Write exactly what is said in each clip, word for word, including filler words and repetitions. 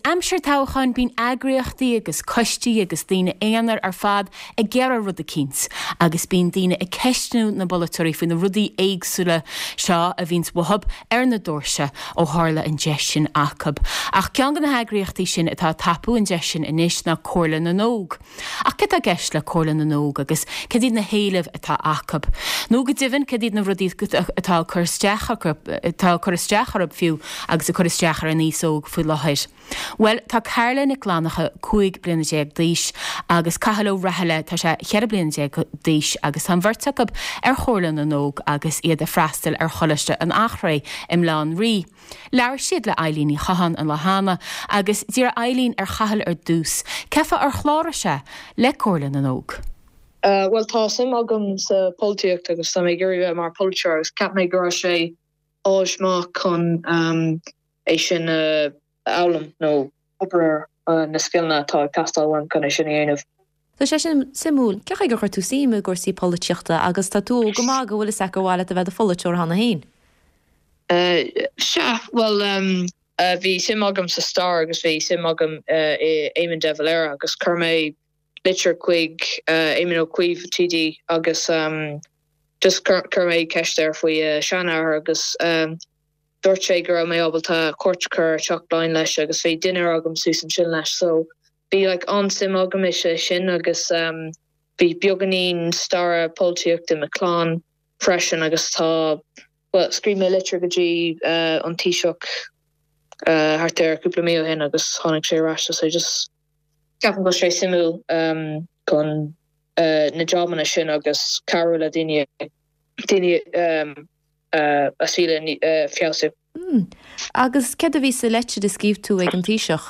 Aimsir toghcháin bíonn eagraíochtaí agus coistí agus daoine aonair ar fad ag iarraidh rud eicínt agus bíonn daoine ag ceistniú na bpolaiteoirí faoi na rudaí éagsúla seo a bhíonns uathub ar na doirse ó tharla an deis sin acu. Ach ceann de na heagraíochtaí sin atá ag tapú an deis sin anois ná Comhairle na nÓg. Ach cad tá i gceist le Comhairle na nÓg agus cad iad na héilimh atá acu? Nó go deimhin cad iad na rudaí atá ag cur isteach atá ag cur isteach orthu fiú agus ag cur isteach ar an aos óg faoi láthair. Bhuel, tá Carla Nic Fhlannchadha cúig bliana déag d'aois agus Cathal Ó Rathaille tá sé cheithre bliana déag d'aois agus tá an bheirt acu ar Chomhairle na nÓg agus iad ag freastal ar Choláiste an Eachréidh i mBaile Átha an Rí. Labhair siad le Eilín Ní Chatháin an lá cheana agus d'iarr Eilín ar Chathal ar dtús, cén fáth ar chláraigh sé le Comhairle na nÓg. Bhuel tá suim agam sa polaitíocht agus tá mé ag iarraidh bheith mar polaiteoir agus cheap mé go raibh sé áis maith chun é sin a fhoghlaim nó obair ar na scileanna atá ag teastáil uaim chun é sin a dhéanamh. Tá sé sin suimiúil. Cén chaoi gur chuir tú suim i gcúrsaí polaitíochta agus tá tú óg go maith go bhfuil fhios agat gur mhaith leat a bheith i do pholaiteoir cheana féin? Sea, bhuel bhí suim agam sa stair agus bhí suim agam i Éamon de Valera agus chuir mé litir chuig Éamon Ó Cuív TD agus just chuir mé ceist air faoi seanathair agus dúirt sé go raibh mé ábalta cuairt a chur ar Teach Laighean leis agus bhí dinnéar agam suas ansin leis so bhí like an-suim agam i sé sin agus bhí beagáinín staire polaitíochta i mo chlann freisin agus tá well scríobh mé litir go dtí an Taoiseach thart ar cúpla mí ó shin agus tháinig sé ar ais so just ceapaim go sé suimiúil chun na jobanna sin agus cabhrú le daoine daoine a saol a feabhsú. Agus céard a bhí sa leitir a scríobh tú ag an Taoiseach?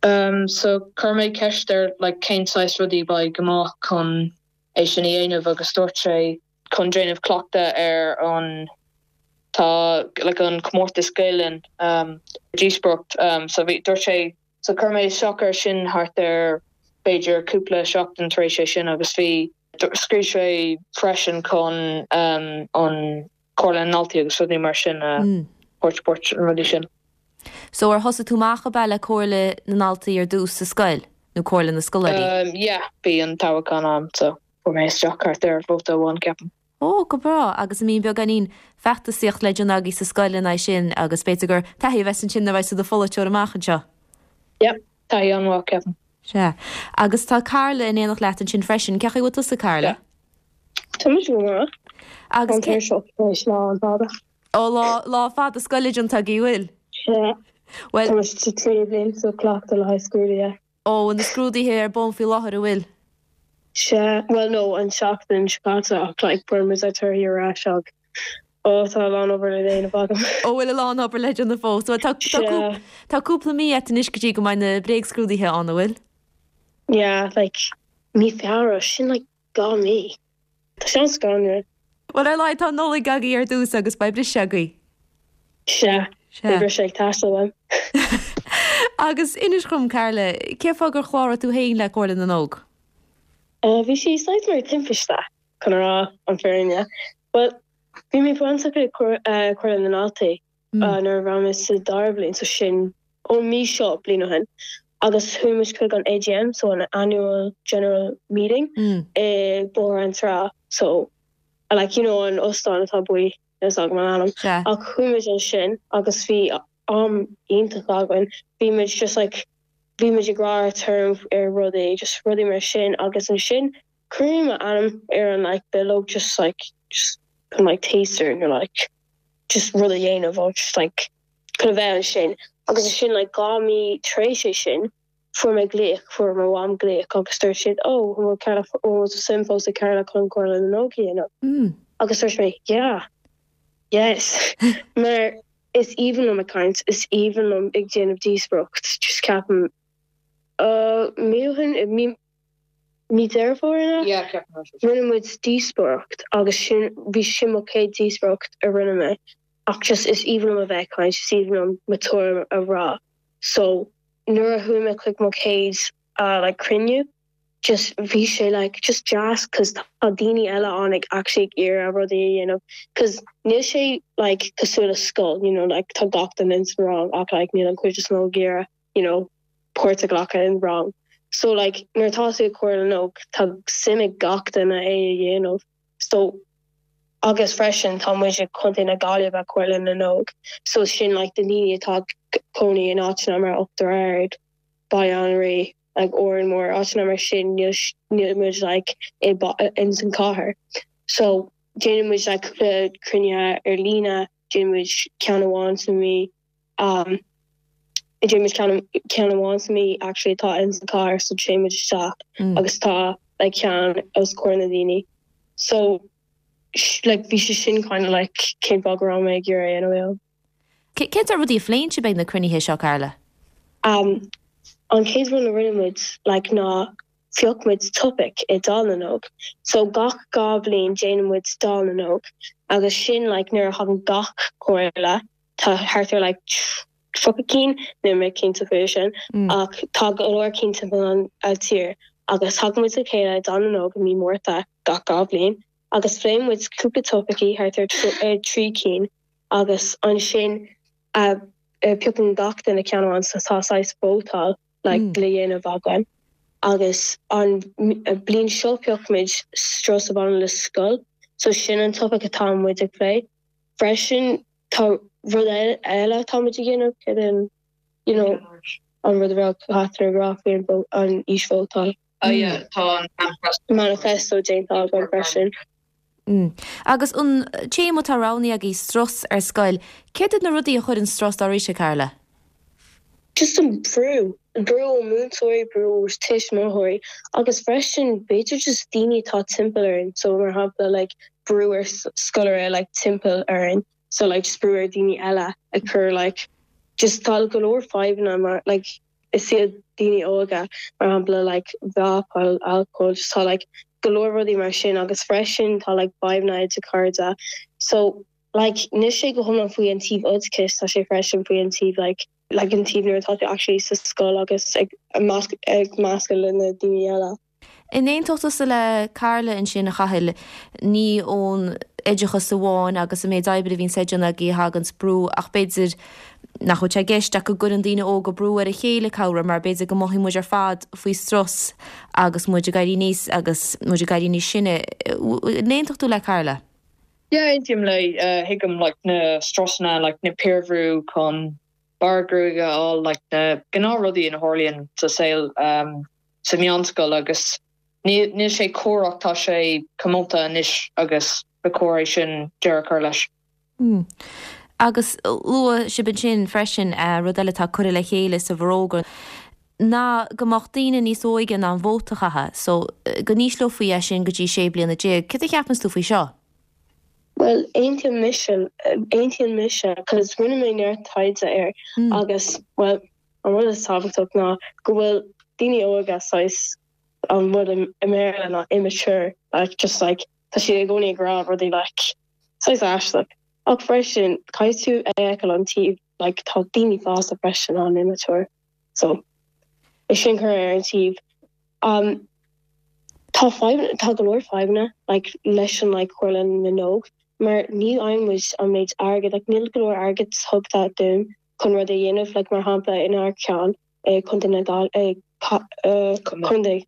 Um, so chuir mé ceist air like cén saghas rudaí beidh go maith chun é sin a dhéanamh agus dúirt sé chun déanamh cleachtadh ar an tá like an comórtas Gaelainn um, díospóireacht um, so bhí dúirt sé so chuir mé isteach air sin thart ar b'fhéidir cúpla seachtain tar éis é sin agus bhí scríobh sé freisin chun um, an Comhairle na nDaltaí agus rudaí mar sin uh, mm. port an rudaí sin. So ar thosaigh tú amach ab ea le Comhairle na nDaltaí ar dtús sa scoil nó Comhairle na Scoláirí? Um, yeah, bhí an toghchán ann so fuair mé isteach thart ar vóta amháin ceapaim. Ó go breá agus an mbíonn beagáinín feachtasaíocht le déanamh agaibh sa scoil in aghaidh sin agus b'fhéidir gur taithí a bheas ansin nuair a bheas tú i do pholaiteoir amach anseo. Yep, taithí an-mhaith ceapaim. Sea. Agus tá Carla in éineacht leat ansin freisin, cén chaoi a bhfuil tusa Carla? Tá mé go maith. Agus An seo lá an fada. Ó lá lá fada scoile déanta agaibh bhfuil? Sea. Well Tá sa tríú bliain so cleachtadh le haghaidh scrúduithe. ó na scrúduithe ar bun faoi láthair an bhfuil. Sea, well no an seachtain seo caite ach like fuair muid ár dtorthaí ar ais ach ó tá a lán obair le déanamh agam. Ó bhfuil a lán obair le déanamh fós, Well, tá tá Sea. Tá cúpla mí agat anois go dtí go mbeidh na bréagscrúduithe ann an bhfuil? Yeah, like mí Feabhra sin like dhá mí. Tá sé scanrúil. Well ar lá tá Nollaig agaibh ar dtús agus beidh briseadh agaibh. Sea, Sea. bhí sé ag teastáil uaim. Agus inis dom Carla, cén fáth gur chláraigh tú féin le Comhairle na nÓg? Uh, bhí sé saghas mar timpiste chun rá an fírinne. Well, bhí mé bainteach le Comhairle na nDaltaí Mm. uh, nuair a bhí mé sa dara bliain so sin ón mí seo bliain ó shin. agus chuaigh muid chuig an AGM so an annual general meeting Mm. i Bóthar na Trá so like you know an óstán atá buí is ag man anam Sea. ach chuaigh muid ansin agus bhí am iontach againn bhí muid just like bhí muid ag rá term ar rudaí just rudaí mar sin agus ansin chuir mé m'ainm ar an like bileog just like just chun like taster nó like just rud a dhéanamh ó just like chun a bheith ansin agus ansin like dhá mí tar éis é sin fuair mé glaoch fuair mo mham glaoch agus dúirt siad ó bhfuil Carla ó suim fós ag Carla chun Comhairle na nÓg a dhéanamh Mm. agus dúirt mé yeah yes mar is aoibhinn liom ag caint is aoibhinn liom ag déanamh díospóireacht just ceapaim uh mí ó shin mí mí Deireadh Fómhair Yeah, ceapaim. rinne muid díospóireacht agus sin bhí sin mo chéad díospóireacht a rinne mé ach just is aoibhinn liom a bheith ag caint is aoibhinn liom mo tuairim a rá so nuair a chuaigh mé chuig mo chéad uh, like cruinniú just bhí sé like just deas cause tá daoine eile ann ag actually ag iarraidh rudaí a dhéanamh cause níl sé like cosúil le scoil you know like tá gach duine in san rang ach like níl an chuid is mó ag iarraidh you know páirt a ghlacadh in rang so like nuair atá tú i Comhairle na nÓg tá suim ag gach duine é a dhéanamh so agus freisin tá muid ag Contae na Gaillimhe Comhairle na nÓg so sin like na daoine atá ag cónaí in áiteanna mar Uachtar Ard Baile an Rí like Órán Mór áiteanna mar sin níl níl muid like i in san cathair so déanann muid like cúpla cruinnithe ar líne déanann muid ceann amháin sa mhí um déanann muid ceann ceann amháin sa mhí actually atá in san cathair so téann muid isteach mm. agus tá like ceann os comhair na daoine so like bhí sé sin kind of like cén fáth go raibh mé ag iarraidh é a dhéanamh. Cén sórt rudaí a phléann sibh ag na cruinnithe seo Carla? Um, an chéad rud a rinne muid like ná phioc muid topic i Dáil na nÓg. So gach dhá bhliain déanann muid Dáil na nÓg agus sin like nuair a thagann gach comhairle tá thart ar like tríocha cinn níl mé cinnte faoi sin mm. ach tá go leor cinn timpeall an uh, tír agus tagann muid le chéile i Dáil na nÓg i mí Márta gach dhá bhliain agus phléann muid cúpla topicí thart ar trí cinn agus ansin uh, uh, piocann gach duine ceann amháin so tá saghas vótáil like, mm. le dhéanamh againn. Agus an bliain seo phioc muid strus a bhaineann le scoil, so sin an topic atá muid ag plé. Freisin tá rud eile atá muid ag déanamh cad an you know, an rud a Catherine ag rá faoi an an aois vótáil. Oh yeah, tá an manifesto déanta againn freisin. Mm. Agus an téama atá roghnaithe agaibh strus ar scoil, céard iad na rudaí a chuireann strus oraibhse Carla? Just an brú, brú ó múinteoirí, brú ó tuismitheoirí agus freisin b'fhéidir just daoine atá timpeall orainn, so mar shampla like brú ar scoláire like timpeall orainn, so like just brú ar daoine eile ag cur like just tá go leor fadhbanna mar like is iad daoine óga mar shampla like vapáil, alcohol, just tá like go leor rudaí mar sin agus freisin tá like fadhbanna idir cairde. So like níl sé go hiomlán faoi an taobh oideachais tá sé freisin faoi an taobh like like an taobh nuair atá tú actually sa scoil agus ag ag meascadh le na daoine eile. An aontódh tusa le Carla ansin a Chathail ní ón oideachas amháin agus an méid oibre a bhíonn le déanamh agaibh a thagann brú ach b'fhéidir nach bhfuil sé i gceist ach go gcuireann daoine óga brú ar a chéile cabhair mar b'fhéidir go mothaíonn muid ar fad faoi strus agus muid ag éirí aníos agus muid ag éirí níos sine. An aontódh tú le Carla? Yeah, aontaím léi uh, thuigim like na strusanna like na piarbhrú chun barr gruaige a fháil like na gnáthrudaí a tharlaíonn sa saol um, sa meánscoil agus níl níl sé cóir ach tá sé comónta anois agus ba chóir é sin deireadh a chur leis. Mm. Agus luaigh sibh ansin freisin uh, rud eile atá curtha le chéile sa bhforógra ná go mbeadh daoine níos óige in ann vóta a chaitheamh, so go n-ísleofaí é sin go dtí sé bliana déag. Cad a cheapann tú faoi seo? Well aontaím mise aontaíonn mise cos rinne mé neart taighde air mm. agus well an rud is tábhachtach ná go bhfuil daoine óga saghas an rud i mBéarla ná immature like just like tá siad i gcónaí ag rá rudaí like saghas aisteach. Ach freisin caithfidh tú a fheiceáil an taobh like tá daoine fásta freisin an immature. So é sin chur ar an taobh. Um, tá tá go leor fadhbanna like leis an like Comhairle na nÓg mar ní fhaigheann muid an méid airgead like níl go leor airgead tugtha dúinn chun rud a dhéanamh like mar shampla inár gceann eh, Contae na Gail eh, uh, Contae.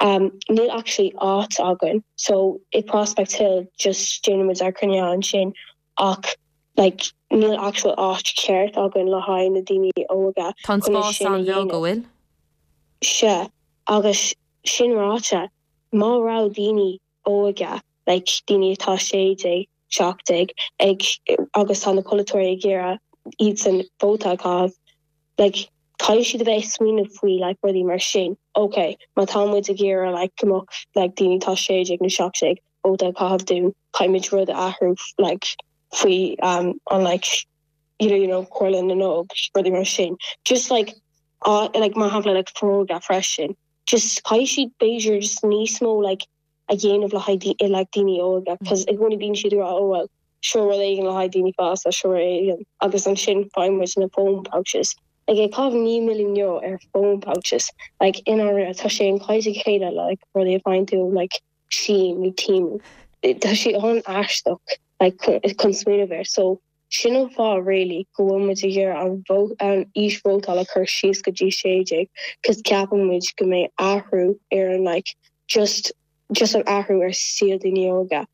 Um, níl actually áit againn so i Prospect Hill just déanann muid ár gcruinnithe ansin ach like níl actual áit ceart againn le haghaidh na daoine óga Tá an chun é spás sin a an-bheag dhéanamh. go bhfuil? Se agus sin ráite má raibh daoine óga like daoine atá sé déag seacht déag ag agus tá na polaiteoirí ag iarraidh iad san vóta a chaitheamh like caithfidh siad a bheith smaoineamh faoi like rudaí mar sin ok má tá muid ag iarraidh like go mbeadh like daoine atá sé déag nó seacht déag vóta a chaitheamh dúinn caithfimid rud a athrú like faoi um an like you know, you know Comhairle na nÓg rudaí mar sin just like uh, like mar shampla like forógra freisin just caithfidh siad b'fhéidir just níos mó like a dhéanamh le haghaidh like daoine óga cos i gcónaí bíonn siad rá oh well seo rud éigin le haghaidh daoine fásta seo éigin agus ansin faigheann muid na phone pouches Like ag caitheamh naoi milliún euro ar phone pouches like in áirithe tá sé an caiid chéile like rudaí a fhaigheann tú like Shein nó Temu. Tá sé an-aisteach like chun smaoineamh air so sin an fáth really go bhfuil muid ag iarraidh an an aois vótála a chur síos go dtí sé déag cos ceapann muid go mbeidh athrú ar an like just just an athrú ar saol daoine óga.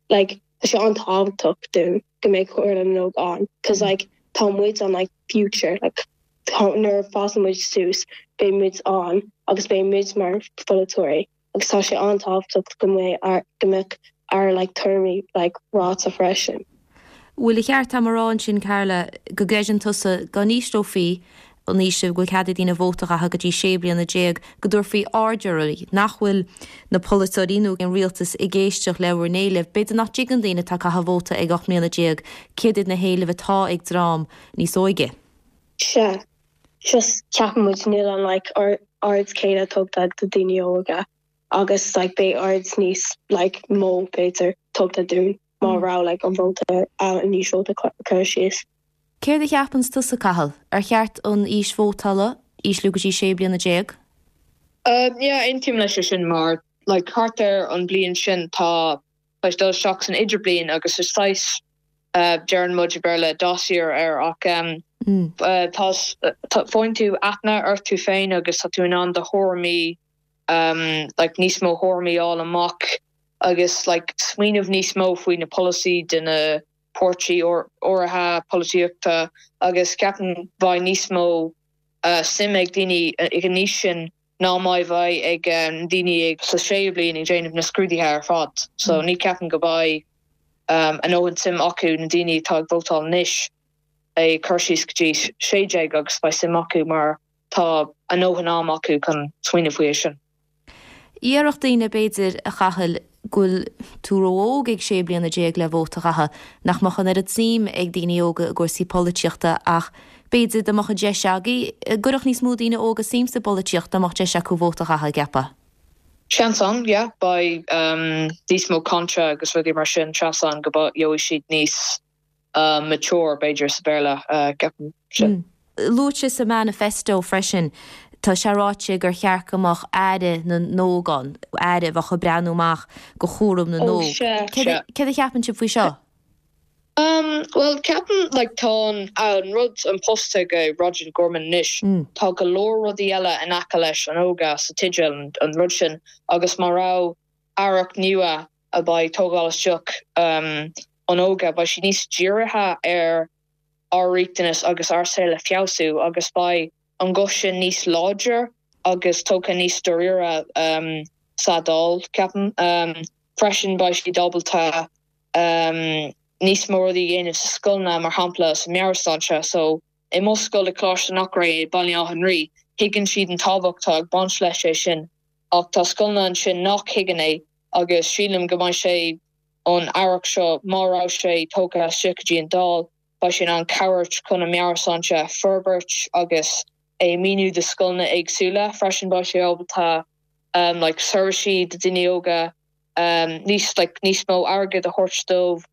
Like tá sé an-tábhachtach dúinn go mbeidh Comhairle na nÓg ann cos like tá muid an like future like nuair a fásann muid suas beidh muid ann agus beidh muid mar pholaiteoirí agus tá sé an-tábhachtach go mbeidh go mbeadh ár like tuairimí like ráite freisin. Bhfuil a cheart agam a rá ansin Carla go gcreideann tusa go n-ísleofaí an aois go bhfuil cead ag daoine vóta a chaitheamh go dtí sé bliana déag, go dtabharfaí aird oraibh, nach bhfuil na polaiteoirí nó an rialtas ag éisteacht le bhur n-éilimh. B'fhéidir nach dtuigeann daoine atá ag caitheamh vóta ag ocht mbliana déag céard iad na héilimh atá ag dream níos óige. Sea, just ceapann muid níl an like aird céanna tugtha do daoine óga agus like beidh aird níos like mó b'fhéidir tugtha dúinn má raibh like an vóta an aois vóta curtha síos. Céard a cheapanns tusa, Cathal? Ar cheart an aois vótála a ísliú go dtí sé bliana déag? Yeah, aontaím leis sin mar like thart ar an bliain sin tá tá dul isteach san idirbliain agus is saghas uh, deireann muid i Béarla dossier air ach um, mm. uh, tá faigheann tú aithne ort tú féin agus tá tú in ann do thuairimí um, like níos mó thuairimí a fháil amach agus like smaoineamh níos mó faoi na polasaí de na páirtí áirithe polaitíochta agus ceapaim beidh níos mó uh, suim ag daoine ag an aois sin ná mar a bheidh ag um, daoine ag sa séú bliain ag déanamh na scrúduithe ar fad. So mm. ní ceapaim go mbeidh um, an oiread suim acu na daoine atá ag vótáil anois é chur síos go dtí sé déag agus beidh suim acu mar tá a ndóthain am acu chun smaoineamh faoi sin. Déarfadh daoine b'fhéidir a Chathail go bhfuil tú ró-óg ag sé bliana déag le vóta a chaitheamh, nach mbeadh an oiread suim ag daoine óga i gcúrsaí polaitíochta ach b'fhéidir dá mbeadh an deis agaibh, gcuirfeadh níos mó daoine óga suim sa bpolaitíocht dá mbeadh deis acu vóta a chaitheamh, an gceapfá? Seans ann, yeah, beidh um, níos mó cainte agus rudaí mar sin seans ann go gheobhaidh siad níos uh, mature b'fhéidir sa Béarla uh, ceapaim sin. Mm. Luaite sa manifesto freisin tá sé ráite gur cheart go mbeadh aire na n-óg ann, aire a bheadh ag breathnú amach go chúram na Ó n-óg. sea. Céard a cheapann sibh faoi seo? Um, well ceapaim like, tá an an rud an post ag Roger Gorman anois Mm. tá go leor rudaí eile in aice leis an óga sa teideal an, an rud sin agus má raibh aireacht nua a beidh tógáil isteach um, an óga beidh sí níos dírithe ar ár riachtanas agus ár saol a feabhsú agus beidh an guth sin níos láidir agus tógtha níos dáiríre um, sa Dáil ceapaim um, freisin beidh siad ábalta um, níos mó rudaí a dhéanamh sa scoileanna mar shampla sa meabhairshláinte so i mo scoil i Coláiste an Eachréidh Baile Átha an Rí thuigeann siad an tábhacht atá ag baint leis é sin ach tá scoileanna ansin nach thuigeann é agus sílim go mbeidh sé an aireacht seo má raibh sé tógtha isteach go dtí an Dáil beidh sé an cabhair chun an meabhairshláinte forbairt agus é míniú do scoileanna éagsúla freisin beidh sé ábalta um, like seirbhísí do daoine óga um, níos like, níos mó airgead a thabhairt dóibh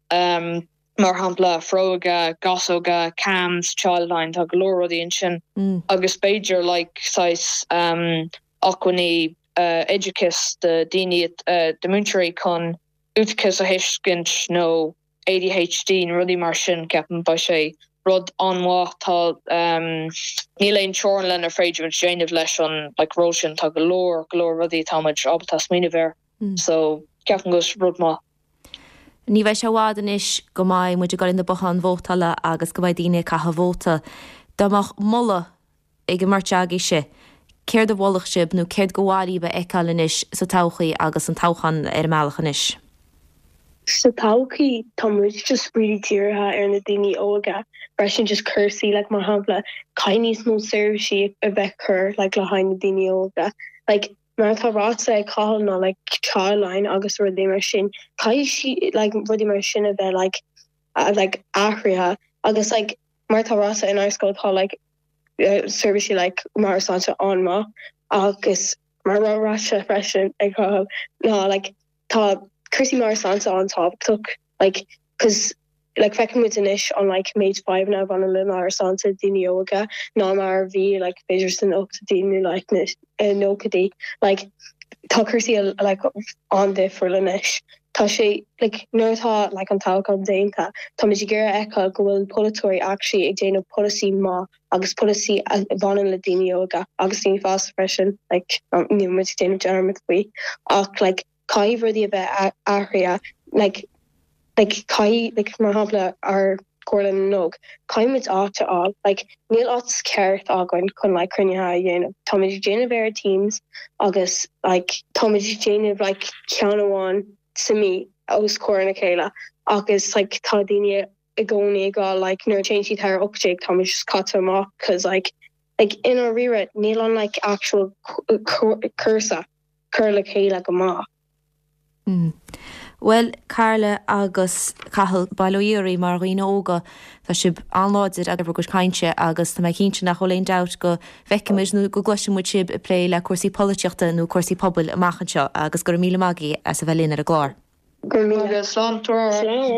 um, mar shampla Foróige, Gasóga, CAMHS, Childline tá go leor rudaí ansin Mm. agus b'fhéidir like saghas um, acmhainní uh, oideachais do daoine uh, de múinteoirí chun autachas a thuiscint nó ADHD nó rudaí mar sin ceapaim beidh sé rud an-mhaith tá um, níl aon teorainn lenar féidir déanamh leis an like, ról sin tá go leor go leor rudaí táimid ábalta smaoineamh air Mm. so ceapaim go rud maith. Ní bheidh sé i bhfad anois go mbeidh muid ag dul na botháin vótála agus go mbeidh daoine ag caitheamh vóta. Dá mbeadh moladh ag an mbeirt agaibhse, céard a mholfadh sibh nó céard ba mhaith libh a fheiceáil anois sa todhchaí agus an toghchán ar an mbealach anois. Sa todhchaí tá muid just really dírithe ar na daoine óga freisin just cúrsaí like mar shampla caithfidh níos mó seirbhísí a bheith chur like le haghaidh na daoine óga like mar atá ráite ag Cathal ná like Childline agus rudaí mar sin caithfidh sí like rudaí mar sin a bheith like uh, like athraithe agus like mar atá ráite in ár scoil tá like uh, seirbhísí like meabhairshláinte an-mhaith agus mar ráite freisin ag Cathal ná like tá cúrsaí meabhairshláinte an-tábhachtach like cos Like feiceann muid anois an like méid fadhbanna a bhaineann le meabhairshláinte daoine óga ná mar a bhí like b'fhéidir sna hochtóidí nó like na nóchaidí. Like tá cúrsaí like an-difriúil anois. Tá sé like nuair atá like an toghchán déanta, táimid ag iarraidh a fheiceáil go bhfuil polaiteoirí actually ag déanamh polasaí maith agus polasaí a bhaineann le daoine óga agus daoine fásta freisin like níl muid ag déanamh dearmad faoi ach like caithfidh rudaí a bheith athraithe like like caithfidh like mar shampla ár Comhairle na nÓg caithfidh muid áit a fháil like níl áit ceart againn chun like cruinnithe a dhéanamh táimid ag déanamh ar Teams agus like táimid ag déanamh like ceann amháin sa mí os comhair na chéile agus like tá daoine i gcónaí ag rá like nuair a téann siad thar ocht déag táimid just caite amach cause like like i ndáiríre níl an like actual cúrsa cur le chéile go maith. Bhuel, Carla agus Cathal, bail ó Dhia oraibh mar dhaoine óga, tá sibh an-láidir ag bhur gcuid cainte agus tá mé cinnte nach bhfuil aon dabht go bhfeicfimid nó go gcloisfimid sibh ag plé le cúrsaí polaitíochta nó cúrsaí pobail amach anseo agus go raibh míle maith agaibh as a bheith linn ar an gclár. Go raibh míle. Slán. Slán.